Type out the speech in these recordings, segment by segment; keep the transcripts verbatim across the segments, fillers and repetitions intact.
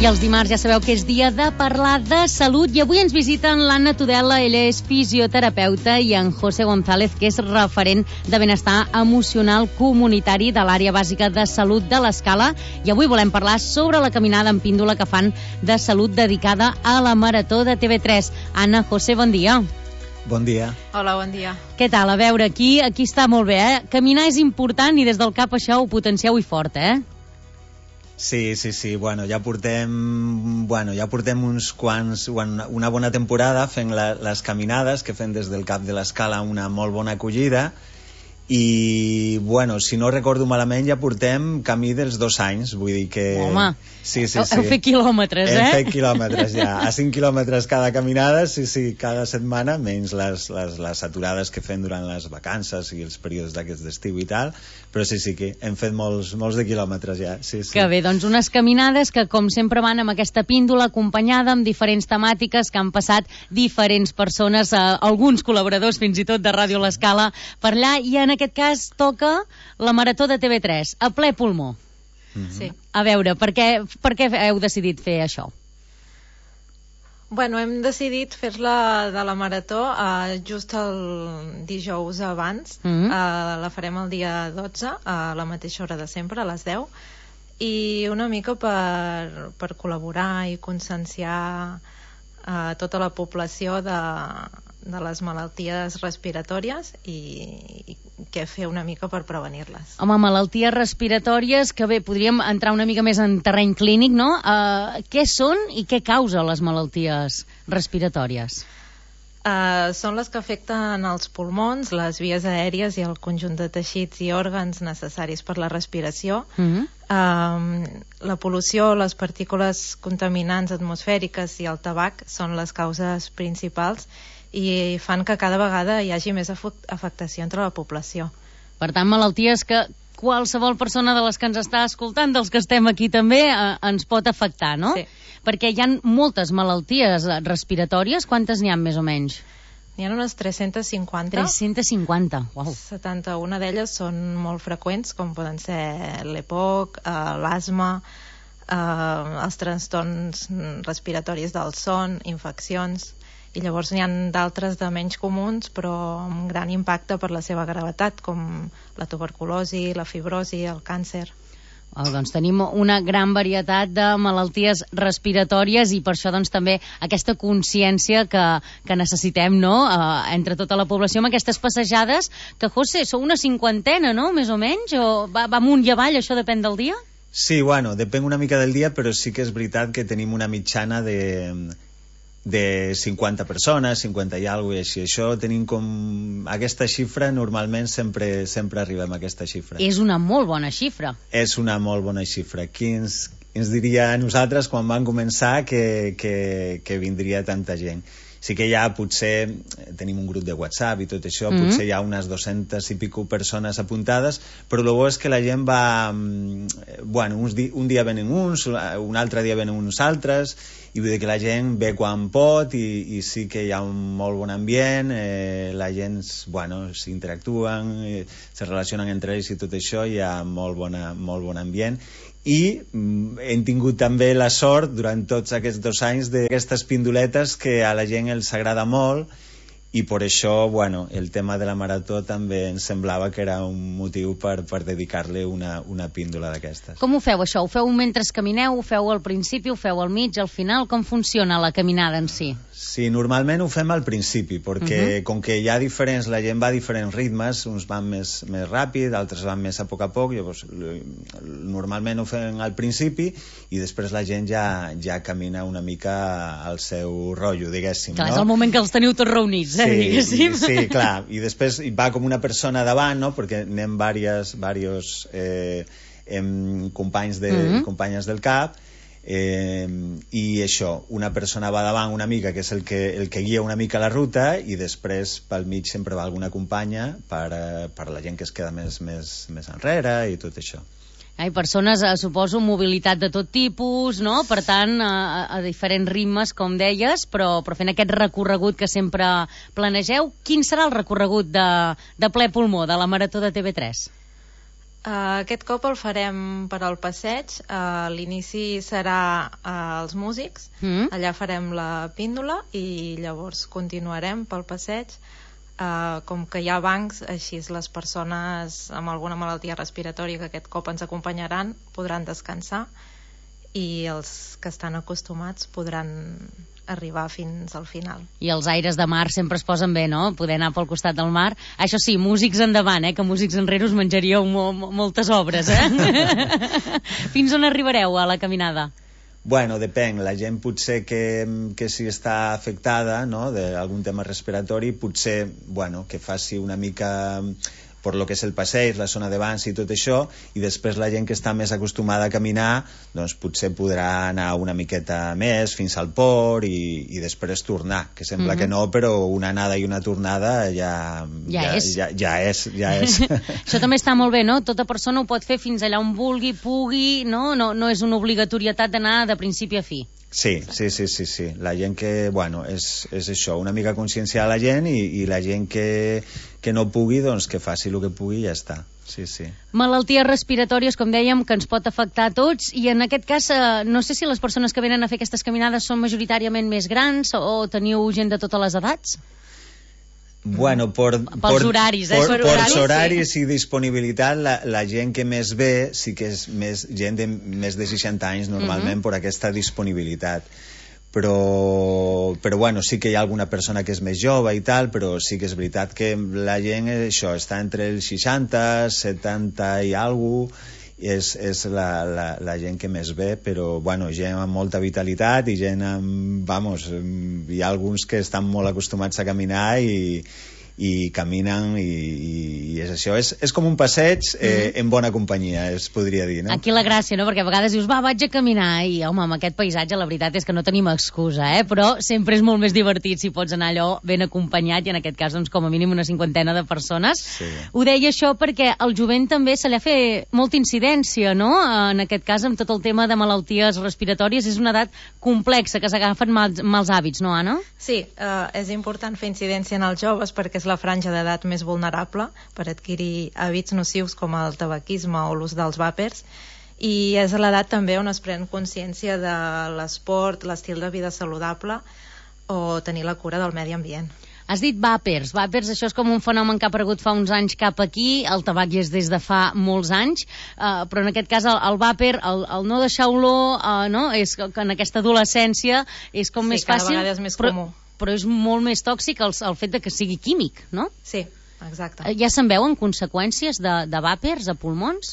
I els dimarts ja sabeu que és dia de parlar de salut i avui ens visiten l'Anna Tudela, ella és fisioterapeuta, i en José González, que és referent de benestar emocional comunitari de l'àrea bàsica de salut de l'Escala, i avui volem parlar sobre la caminada en píndola que fan de salut dedicada a la Marató de T V tres. Anna, José, bon dia. Bon dia. Hola, bon dia. Què tal? A veure, aquí aquí està molt bé, eh? Caminar és important i des del cap això ho potencieu i fort, eh? Sí, sí, sí, bueno, ja portem, bueno, ja portem uns quants, una, una bona temporada fent la, les caminades que fem des del cap de l'Escala, una molt bona acollida, i, bueno, si no recordo malament, ja portem camí dels dos anys, vull dir que... Home, sí, sí, heu, sí. heu fet quilòmetres, eh? Hem fet quilòmetres, ja. A cinc quilòmetres cada caminada, sí, sí, cada setmana, menys les, les, les aturades que fem durant les vacances i els períodes d'aquests d'estiu i tal, però sí, sí que hem fet molts, molts de quilòmetres ja, sí, sí. Que bé, doncs unes caminades que, com sempre, van amb aquesta píndola acompanyada amb diferents temàtiques que han passat diferents persones, eh, alguns col·laboradors fins i tot de Ràdio L'Escala per allà, i en aquest cas toca la Marató de T V tres, a ple pulmó. Mm-hmm. Sí. A veure, per què, per què heu decidit fer això? Bueno, hem decidit fer-la de la Marató eh, just el dijous abans. Mm-hmm. eh, la farem el dia dotze, a la mateixa hora de sempre, a les deu, i una mica per, per col·laborar i conscienciar eh, tota la població de, de les malalties respiratòries i, i què fer una mica per prevenir-les. Home, malalties respiratòries, que bé, podríem entrar una mica més en terreny clínic, no? Uh, què són i què causa les malalties respiratòries? Uh, són les que afecten els pulmons, les vies aèries i el conjunt de teixits i òrgans necessaris per la respiració. Mm-hmm. Uh, la pol·lució, les partícules contaminants atmosfèriques i el tabac són les causes principals i fan que cada vegada hi hagi més afectació entre la població. Per tant, malalties que qualsevol persona de les que ens està escoltant, dels que estem aquí també, eh, ens pot afectar, no? Sí. Perquè hi ha moltes malalties respiratòries. Quantes n'hi ha més o menys? N'hi ha unes tres-centes cinquanta. tres-centes cinquanta, uau. setanta-una d'elles són molt freqüents, com poden ser l'E P O C, eh, l'asma, eh, els trastorns respiratoris del son, infeccions, i llavors n'hi ha d'altres de menys comuns però amb gran impacte per la seva gravetat, com la tuberculosi, la fibrosi, el càncer. Oh, doncs tenim una gran varietat de malalties respiratòries i per això doncs també aquesta consciència que, que necessitem, no?, uh, entre tota la població amb aquestes passejades que, José, sou una cinquantena, no?, més o menys, o va, va amunt i avall, això depèn del dia? Sí, bueno, depèn una mica del dia, però sí que és veritat que tenim una mitjana de... de cinquanta persones, cinquanta i alguna cosa, i així. Això tenim com... Aquesta xifra, normalment sempre, sempre arribem a aquesta xifra. És una molt bona xifra. És una molt bona xifra. Qui ens, ens diria a nosaltres quan van començar que, que, que vindria tanta gent? Sí que ja potser tenim un grup de WhatsApp i tot això, mm-hmm. potser hi ha unes dues-centes i pico persones apuntades, però el bo és que la gent va... Bueno, uns di, un dia venen uns, un altre dia venen uns altres, i vull dir que la gent ve quan pot i, i sí que hi ha un molt bon ambient, eh, la gent, bueno, s'interactuen, eh, se relacionen entre ells i tot això, hi ha molt, bona, molt bon ambient. I mm, hem tingut també la sort durant tots aquests dos anys d'aquestes pindoletes que a la gent els agrada molt, i per això, bueno, el tema de la marató també ens semblava que era un motiu per, per dedicar-li una, una píndola d'aquestes. Com ho feu, això? Ho feu mentre camineu? Ho feu al principi? Ho feu al mig, al final? Com funciona la caminada en si? Sí, normalment ho fem al principi, perquè uh-huh. com que hi ha diferents, la gent va a diferents ritmes, uns van més, més ràpid, altres van més a poc a poc, llavors normalment ho fem al principi i després la gent ja, ja camina una mica al seu rotllo, diguéssim. Clar, no? És el moment que els teniu tots reunits, eh, sí, diguéssim. Sí, clar, i després va com una persona davant, no?, perquè anem diversos, diversos eh, em, companys de, uh-huh. companyes del CAP, Eh, i això, una persona va davant una mica, que és el que, el que guia una mica la ruta, i després pel mig sempre va alguna companya per, per la gent que es queda més, més, més enrere i tot això. Hi ha persones, eh, suposo, mobilitat de tot tipus, no? Per tant, a, a diferents ritmes, com deies, però, però fent aquest recorregut que sempre planegeu. Quin serà el recorregut de, de ple pulmó de la Marató de T V tres? Uh, aquest cop el farem per al passeig. Uh, l'inici serà uh, els músics, mm. allà farem la píndola i llavors continuarem pel passeig. Uh, com que hi ha bancs, així les persones amb alguna malaltia respiratòria que aquest cop ens acompanyaran podran descansar i els que estan acostumats podran arribar fins al final. I els aires de mar sempre es posen bé, no? Poder anar pel costat del mar. Això sí, músics endavant, eh? Que músics enrere us menjaríeu mo moltes obres, eh? Fins on arribareu a la caminada? Bueno, depèn. La gent potser que, que si està afectada, no?, d'algun tema respiratori, potser, bueno, que faci una mica per lo que és el passeig, la zona de bancs i tot això, i després la gent que està més acostumada a caminar, doncs potser podrà anar una miqueta més fins al port i, i després tornar, que sembla mm-hmm. que no, però una anada i una tornada ja, ja, ja és. Ja, ja és, ja és. Això també està molt bé, no? Tota persona ho pot fer fins allà on vulgui, pugui, no? No, no és una obligatorietat d'anar de principi a fi. Sí, sí, sí, sí, sí. La gent que, bueno, és, és això, una mica conscienciar la gent i, i la gent que, que no pugui, doncs que faci el que pugui i ja està. Sí, sí. Malalties respiratòries, com dèiem, que ens pot afectar a tots, i en aquest cas, eh, no sé si les persones que venen a fer aquestes caminades són majoritàriament més grans o, o teniu gent de totes les edats? Bueno, por, pels por, horaris, eh? Por, per por horaris, horaris sí. I disponibilitat, la, la gent que més ve sí que és més gent de més de seixanta anys normalment, mm-hmm. per aquesta disponibilitat. Però, però bueno, sí que hi ha alguna persona que és més jove i tal, però sí que és veritat que la gent, això, està entre els seixanta, setanta i alguna cosa, és, és la, la, la gent que més ve, però bueno, gent amb molta vitalitat i gent amb, vamos, hi ha alguns que estan molt acostumats a caminar i, i caminen i, i és això, és, és com un passeig eh, mm. en bona companyia, es podria dir, no? Aquí la gràcia, no? Perquè a vegades dius, va, vaig a caminar i, home, amb aquest paisatge la veritat és que no tenim excusa, eh? Però sempre és molt més divertit si pots anar allò ben acompanyat i en aquest cas, doncs, com a mínim una cinquantena de persones. Sí. Ho deia això perquè al jovent també se li ha fet molta incidència, no? En aquest cas, amb tot el tema de malalties respiratòries, és una edat complexa, que s'agafen mals, mals hàbits, no, Anna? Sí, eh, és important fer incidència en els joves perquè és la franja d'edat més vulnerable per adquirir hàbits nocius com el tabaquisme o l'ús dels vàpers, i és a l'edat també on es pren consciència de l'esport, l'estil de vida saludable o tenir la cura del medi ambient. Has dit vàpers. Vàpers, això és com un fenomen que ha aparegut fa uns anys cap aquí, el tabac hi és des de fa molts anys, eh, però en aquest cas el, el vàper, el, el no deixar olor, eh, no? És que en aquesta adolescència és com sí, més fàcil. Sí, cada vegada és més però, comú. Però és molt més tòxic el, el fet de que sigui químic, no? Sí, exacte. Ja se'n veuen conseqüències de, de vàpers a pulmons?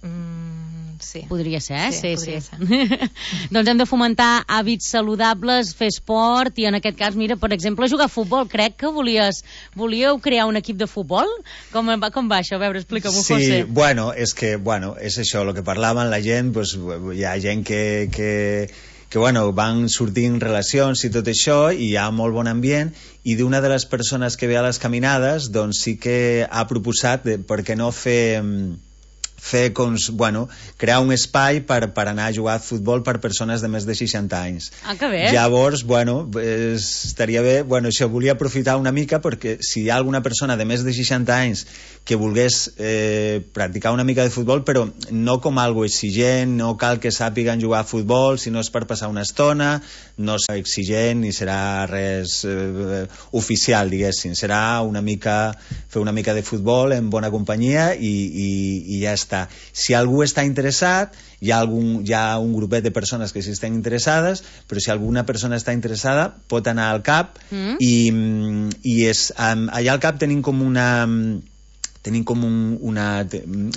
Mm, sí. Podria ser, eh? Sí, sí, podria sí. ser. Doncs hem de fomentar hàbits saludables, fer esport i en aquest cas, mira, per exemple, jugar a futbol. Crec que volies, volíeu crear un equip de futbol? Com va, com va això? A veure, explica-m'ho, sí, José. Sí, bueno, és que, bueno, és això, el que parlaven la gent, pues, hi ha gent que... que que bueno, van sortint relacions i tot això, i hi ha molt bon ambient, i d'una de les persones que ve a les caminades, doncs sí que ha proposat de, per què no fer... fer com, bueno, crear un espai per, per anar a jugar a futbol per persones de més de seixanta anys. Ah, que bé. Llavors, bueno, es, estaria bé, bueno, això volia aprofitar una mica perquè si hi ha alguna persona de més de seixanta anys que volgués eh, practicar una mica de futbol, però no com algo exigent, no cal que sàpiguen jugar a futbol, sinó és per passar una estona, no serà exigent ni serà res eh, oficial, diguéssim, serà una mica, fer una mica de futbol en bona companyia i, i, i ja està. Si algú està interessat, hi ha, algun, hi ha un grupet de persones que sí estan interessades, però si alguna persona està interessada pot anar al C A P mm. i, i és, um, allà al C A P tenim com una... tenim com un, una...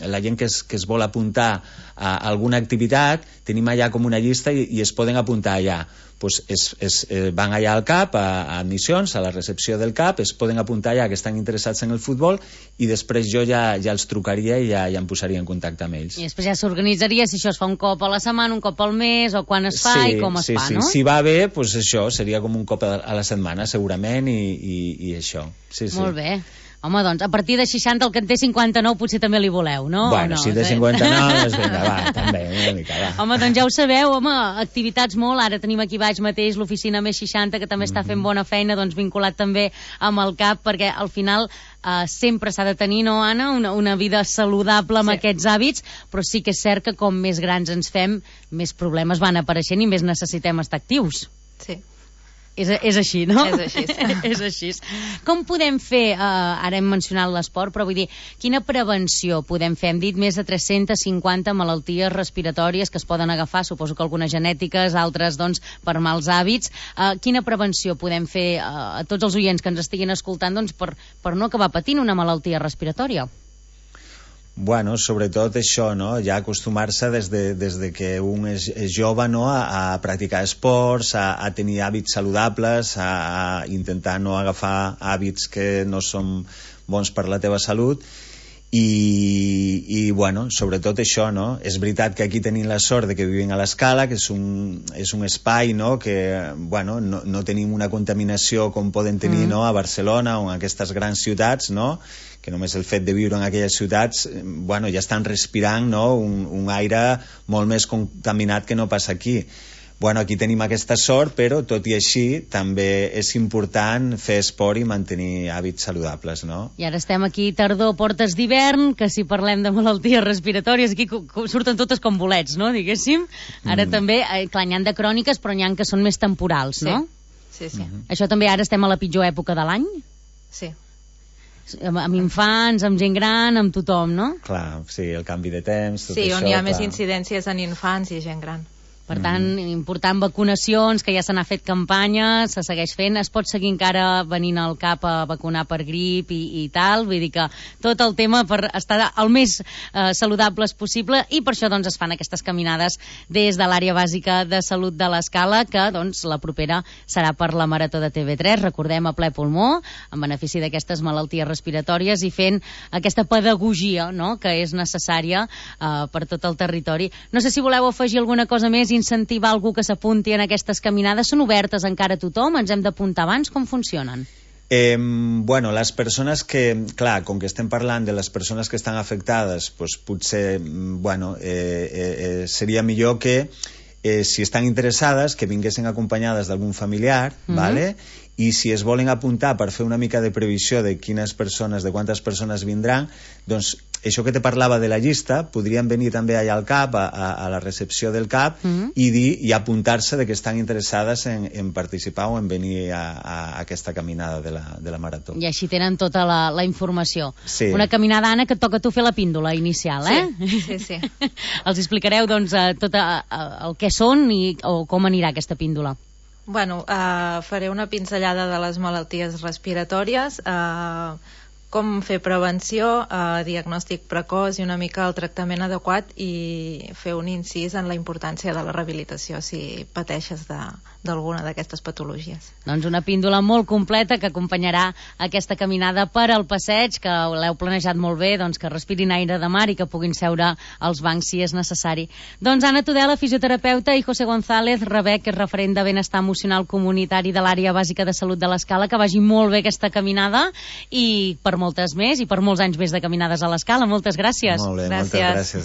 la gent que es, que es vol apuntar a alguna activitat, tenim allà com una llista i, i es poden apuntar allà. Pues es, es, eh, van allà al C A P, a, a admissions, a la recepció del C A P, es poden apuntar allà que estan interessats en el futbol i després jo ja, ja els trucaria i ja, ja em posaria en contacte amb ells. I després ja s'organitzaria si això es fa un cop a la setmana, un cop al mes, o quan es fa sí, i com es sí, fa, sí. no? Si va bé, pues això seria com un cop a la setmana segurament i, i, i això. Sí, sí. Molt bé. Home, doncs, a partir de seixanta, el que en té cinquanta-nou potser també li voleu, no? Bueno, no? si té cinquanta-nou, doncs vinga, va, també, una mica, va. Home, doncs ja ho sabeu, home, activitats molt, ara tenim aquí baix mateix l'oficina més seixanta, que també mm -hmm. està fent bona feina, doncs vinculat també amb el C A P, perquè al final eh, sempre s'ha de tenir, no, Anna, una, una vida saludable amb sí. aquests hàbits, però sí que és cert que com més grans ens fem, més problemes van apareixent i més necessitem estar actius. Sí. És, és així, no? És així. És així. Com podem fer, eh, ara hem mencionat l'esport, però vull dir, quina prevenció podem fer? Hem dit més de tres-centes cinquanta malalties respiratòries que es poden agafar, suposo que algunes genètiques, altres doncs per mals hàbits. Eh, quina prevenció podem fer eh, a tots els oients que ens estiguin escoltant doncs, per, per no acabar patint una malaltia respiratòria? Bueno, sobretot això, no? Ja acostumar-se des de, des de que un és, és jove, no? a, a practicar esports, a, a tenir hàbits saludables, a, a intentar no agafar hàbits que no són bons per la teva salut i, i bueno, sobretot això, no? És veritat que aquí tenim la sort de que vivim a l'Escala, que és un, és un espai, no? Que, bueno, no, no tenim una contaminació com poden tenir, mm. no? A Barcelona o en aquestes grans ciutats, no? Que només el fet de viure en aquelles ciutats, bueno, ja estan respirant, no? un, un aire molt més contaminat que no passa aquí. Bueno, aquí tenim aquesta sort, però tot i així també és important fer esport i mantenir hàbits saludables, no? I ara estem aquí tardor, portes d'hivern, que si parlem de malalties respiratòries, aquí surten totes com bolets, no?, diguéssim. Ara mm. també, eh, clar, n'hi ha de cròniques, però n'hi ha que són més temporals, sí. no? Sí, sí. Mm-hmm. Això també ara estem a la pitjor època de l'any? Sí. Amb, amb infants, amb gent gran, amb tothom, no? Clar, sí, el canvi de temps, tot sí, això... on hi ha clar. més incidències en infants i gent gran. Per tant, mm. important vacunacions, que ja se n'ha fet campanya, se segueix fent, es pot seguir encara venint al C A P a vacunar per grip i, i tal, vull dir que tot el tema per estar el més eh, saludables possible, i per això doncs es fan aquestes caminades des de l'àrea bàsica de salut de l'Escala, que doncs la propera serà per la Marató de T V tres, recordem, a ple pulmó, en benefici d'aquestes malalties respiratòries i fent aquesta pedagogia, no?, que és necessària eh, per tot el territori. No sé si voleu afegir alguna cosa més, incentivar algú que s'apunti en aquestes caminades. Són obertes encara a tothom? Ens hem d'apuntar abans? Com funcionen? Eh, bueno, les persones que, clar, com que estem parlant de les persones que estan afectades, pues potser, bueno, eh, eh, seria millor que eh, si estan interessades, que vinguessin acompanyades d'algun familiar, mm-hmm. vale? I si es volen apuntar per fer una mica de previsió de quines persones, de quantes persones vindran, doncs això que te parlava de la llista, podrien venir també allà al C A P, a, a la recepció del C A P, mm-hmm. i dir i apuntar-se de que estan interessades en, en participar o en venir a, a aquesta caminada de la, de la Marató. I així tenen tota la, la informació. Sí. Una caminada, Anna, que et toca a tu fer la píndola inicial, eh? Sí, sí, sí. Els explicareu, doncs, tot a, a, el que són i o com anirà aquesta píndola. Bueno, uh, faré una pinzellada de les malalties respiratòries, uh, com fer prevenció, uh, diagnòstic precoç i una mica el tractament adequat, i fer un incís en la importància de la rehabilitació si pateixes d'alguna d'aquestes patologies. Doncs una píndola molt completa que acompanyarà aquesta caminada per al passeig, que l'heu planejat molt bé, doncs que respirin aire de mar i que puguin seure als bancs si és necessari. Doncs Anna Tudela, fisioterapeuta, i José González Rebec, que és referent de benestar emocional comunitari de l'àrea bàsica de salut de l'Escala, que vagi molt bé aquesta caminada i per moltes més i per molts anys més de caminades a l'Escala. Moltes gràcies. Molt bé, gràcies. moltes gràcies.